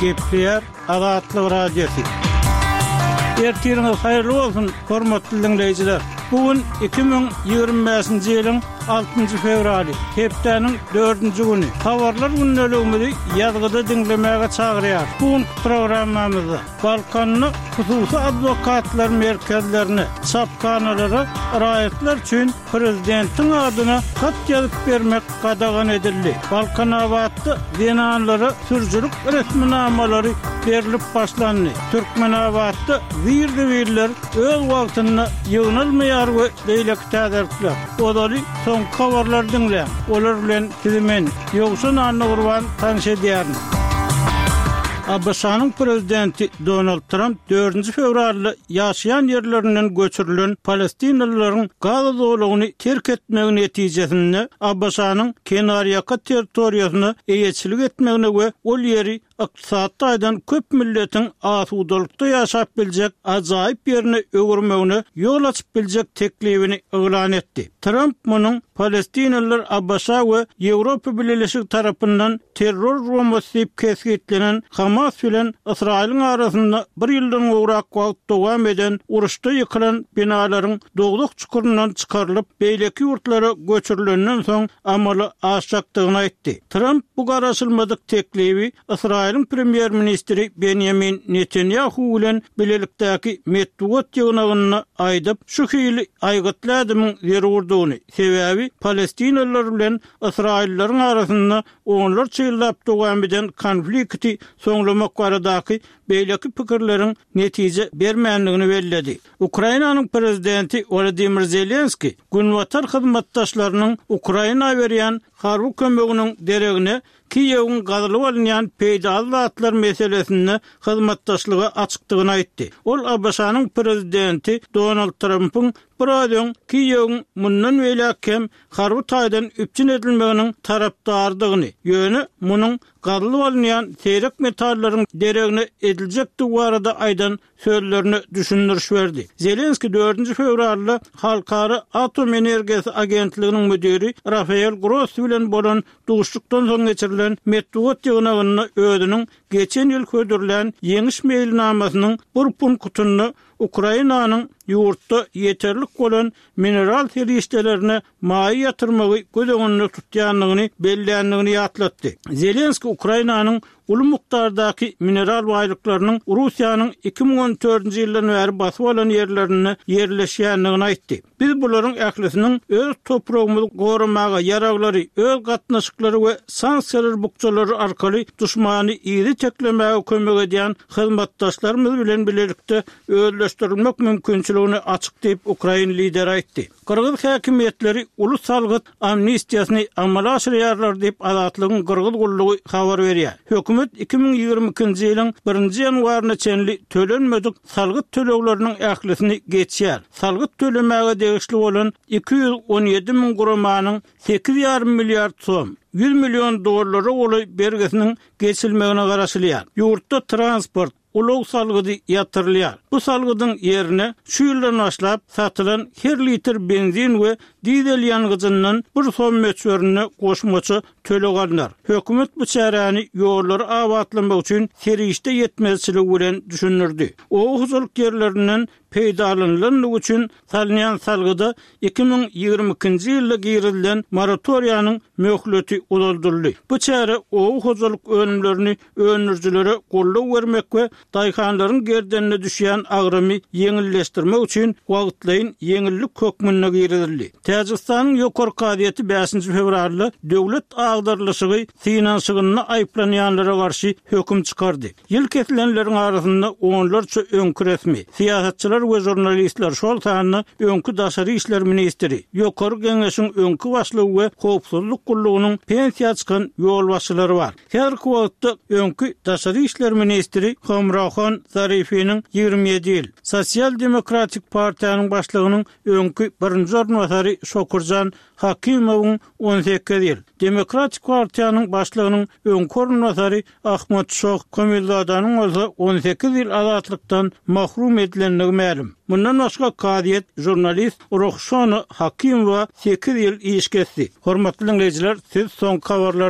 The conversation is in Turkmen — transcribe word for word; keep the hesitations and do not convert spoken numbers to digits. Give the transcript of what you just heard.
Gepleýär Azatlyk Radiosy. Ertiriňiz haýyrly bolsun, hormatly diňleýjiler! Bu gün iki müň ýigrimi bäşinji ýylyň altynjy fewraly, hepdäniň dördünji güni. Habarlar gündeligimizi ýazgyda diňlemäge çagyrýarys. Bu günki programmamyzda Balkanda hususy adwokatlar merkezlerine, çaphanalara raýatlar üçin prezidentiň adyna hat ýazyp bermek gadagan edildi. Balkanabatda zenanlara sürüjilik resminamalary berlip başlandy. Türkmenabatda zir-zibiller öz wagtynda ýygnalmaýar we beýleki täzelikler. Ozaly soňky habarlary diňläň. Olar bilen sizi men, Ýowşan Annagurban tanyş edýärin. ABŞ-nyň prezidenti Donald Tramp dördünji fewralda ýaşaýan ýerlerinden göçürilen palestinalylaryň Gaza zolagyny terk etmegi netijesinde ABŞ-nyň kenarýaka territoriýasyna eýeçilik etmegine we ol ýeri ykdysady taýdan köp milletiň asudalykda ýaşap biljek ajaýyp ýerine öwürmegine ýol açyp biljek teklibini yglan etdi. Tramp munuň palestinalylar ABŞ we Ýewropa Bileleşigi tarapyndan terror guramasy diýip kesgitlenen Hamas bilen Ysraýylyň arasynda bir ýyldan gowrak wagt dowam eden uruşda ýykylan binalaryň dowzah çukuryndan çykarylyp, beýleki ýurtlara göçürilenden soň amala aşjakdygyny aýtdy. Tramp bu garaşylmadyk teklibi Ysraýylyň premýer-ministri Benýamin Netanýahu bilen bilelikdäki metbugat ýygnagynda aýdyp, şu hili aýgytly ädimiň zerurdygyny, sebäbi palestinalylar bilen ysraýyllylaryň arasynda onlarça ýyllap dowam eden konflikti soňlamak baradaky beýleki pikirleriň netije bermändigini belledi. Ukrainanyň prezidenti Wolodymyr Zelenskiý Günbatar hyzmatdaşlarynyň Ukraina berýän harby kömeginiň deregine Kiýewiň gazylyp alynýan peýdaly zatlar meselesinde hyzmatdaşlyga açykdygyny aýtdy. Ol ABŞ-nyň prezidenti Donald Trampyň biraz öň Kiýewiň mundan beýläk hem harby taýdan üpjün edilmeginiň tarapdarydygyny, ýöne munuň gazylyp alynýan seýrek metallaryň deregine ediljekdigi barada aýdan sözlerine düşündiriş berdi. Zelenskiý dördünji fewralda Halkara atom energiýasy agentliginiň müdiri Rafael Grossi bilen bolan duşuşykdan soň geçirilen metbugat ýygnagynda özüniň geçen ýyl hödürlän ýeňiş meýilnamasynyň bir punktynda Ukrainanyň ýurtda ýeterlik bolan mineral serişdelerine maýa ýatyrmagy göz öňünde tutýandygyny belländigini ýatlatdy. Zelenskiý Ukrainanyň uly mukdardaky mineral baýlyklarynyň Russiýanyň iki müň on dördünji ýyldan bäri basyp alan ýerlerinde ýerleşýändigini aýtdy. Biz bularyň ählisiniň öz topragymyzy goramaga, ýaraglary, öz gatnaşyklary we sanksiýalar bukjalary arkaly duşmany yzy teklemäge kömek edýän hyzmatdaşlarymyz bilen bilelikde özleşdirilmek mümkinçiligine açyk diýip, ukrain lideri aýtdy. Gyrgyz häkimiýetleri uly salgyt amnistiýasyny amala aşyrýarlar diýip, Azatlygyň Gyrgyz gullugy habar berýär. Hökümet iki müň ýigrimi ikinji ýylyň birinji ýanwaryna çenli tölenmedik salgyt tölegleriniň ählisini geçýär. Salgyt tölemäge degişli bolan iki ýüz on ýedi müň guramanyň sekiz ýarym milliard som, ýüz million dollara golaý bergisiniň geçilmegine garaşylýar. Ýurtda transport, ulag salgydy ýatyrylýar. Bu salgydyň ýerine şu ýyldan başlap satylan her litr benzin we dizel ýangyjyndan bir som möçberinde goşmaça töleg alnar. Hökümet bu çäräni ýollary abatlamak üçin serişde ýetmezçiligi bilen düşündirdi. Oba hojalyk ýerlerinden peýdalanylandygy üçin salynýan salgyda iki müň ýigrimi ikinji ýylda girizilen moratoriýanyň möhleti uzaldyldy. Bu çäre oba hojalyk önümlerini öndürijilere goldaw bermek we daýhanlaryň gerdenine düşýän agramy ýeňilleşdirmek üçin wagtlaýyn ýeňillik hökmünde girizildi. Täjigistanyň Ýokary kazyýeti bäşinji fewralda döwlet agdarylyşygy synanyşygynda aýyplanýanlara garşy höküm çykardy. Ýyl kesilenleriň arasynda onlarça öňki resmi, syýasatçylar we žurnalistler, şol sanda öňki daşary işler ministri, Ýokary Geňeşiň öňki başlygy we howpsuzlyk gullugynyň pensiýa çykan ýolbaşçylary bar. Häzirki wagtda öňki daşary işler ministri Hamrohon Zarifiniň ýigrimi ýedi ýyl, Sosial-demokratik partiýanyň başlygynyň öňki birinji orunbasary Şokurjan Hakimowyň on sekiz ýyl, Demokratik partiýanyň başlygynyň öňki orunbasary Ahmad Şoh Komilzadanyň bolsa on sekiz ýyl azatlykdan mahrum edilendigi mälim. Mundan başga kazyýet žurnalist Ruhşona Hakimowa sekiz ýyl iş kesdi. Hormatly diňleýjiler, siz soňky habarlar